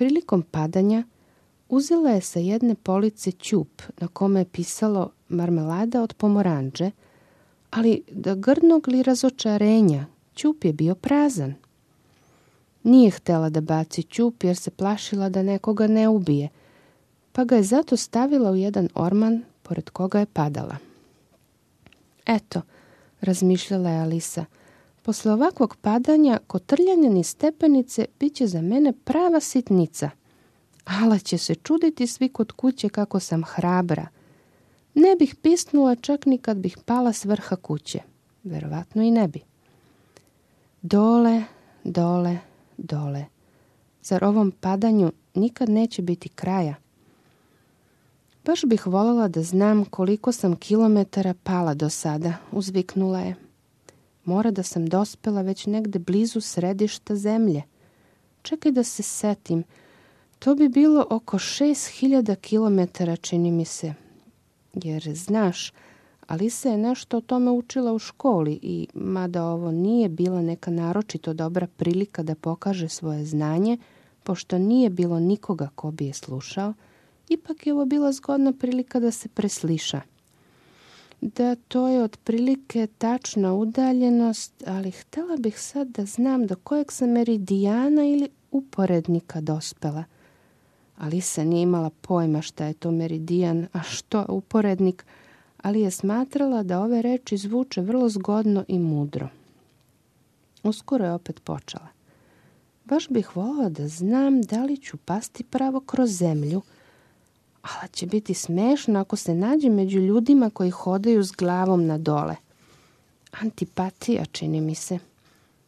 Prilikom padanja uzela je sa jedne police ćup na kome je pisalo marmelada od pomoranđe, ali da grdnog li razočarenja, ćup je bio prazan. Nije htjela da baci ćup jer se plašila da nekoga ne ubije, pa ga je zato stavila u jedan orman pored koga je padala. Eto, razmišljala je Alisa, posle ovakvog padanja kotrljanja niz stepenice bit će za mene prava sitnica. Ala će se čuditi svi kod kuće kako sam hrabra. Ne bih pisnula čak ni kad bih pala s vrha kuće. Verovatno i ne bi. Dole, dole, dole. Zar ovom padanju nikad neće biti kraja? Baš bih voljela da znam koliko sam kilometara pala do sada, uzviknula je. Mora da sam dospela već negde blizu središta zemlje. Čekaj da se setim. To bi bilo oko 6000 kilometara, čini mi se. Jer, znaš, Alisa je nešto o tome učila u školi i, mada ovo nije bila neka naročito dobra prilika da pokaže svoje znanje, pošto nije bilo nikoga ko bi je slušao, ipak je ovo bila zgodna prilika da se presliša. Da, to je otprilike tačna udaljenost, ali htjela bih sad da znam do kojeg sam meridijana ili uporednika dospela. Alisa nije imala pojma šta je to meridijan, a što uporednik, ali je smatrala da ove reči zvuče vrlo zgodno i mudro. Uskoro je opet počela. Baš bih voljela da znam da li ću pasti pravo kroz zemlju, ali će biti smešno ako se nađe među ljudima koji hodaju s glavom na dole. Antipatija, čini mi se.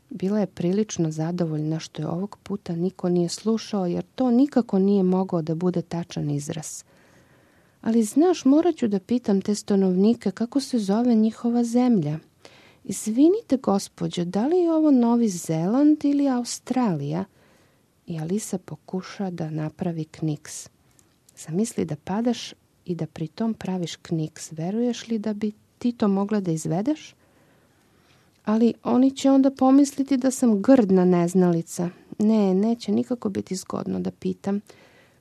Bila je prilično zadovoljna što je ovog puta niko nije slušao, jer to nikako nije mogao da bude tačan izraz. Ali znaš, morat ću da pitam te stanovnike kako se zove njihova zemlja. Izvinite, gospođo, da li je ovo Novi Zeland ili Australija? I Alisa pokuša da napravi kniks. Zamisli da padaš i da pri tom praviš kniks. Veruješ li da bi ti to mogla da izvedeš? Ali oni će onda pomisliti da sam grdna neznalica. Ne, neće nikako biti zgodno da pitam.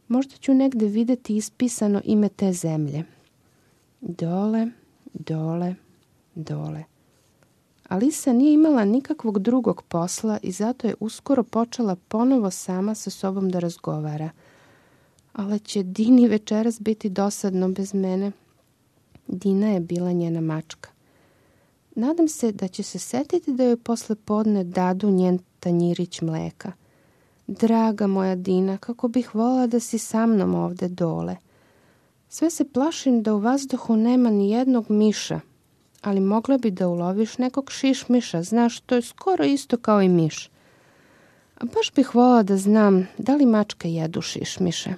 Možda ću negde videti ispisano ime te zemlje. Dole, dole, dole. Alisa nije imala nikakvog drugog posla i zato je uskoro počela ponovo sama sa sobom da razgovara. Ali će Dini večeras biti dosadno bez mene. Dina je bila njena mačka. Nadam se da će se setiti da joj posle podne dadu njen tanjirić mleka. Draga moja Dina, kako bih voljela da si sa mnom ovde dole. Sve se plašim da u vazduhu nema ni jednog miša, ali mogla bi da uloviš nekog šišmiša, znaš, to je skoro isto kao i miš. A baš bih voljela da znam da li mačke jedu šišmiše.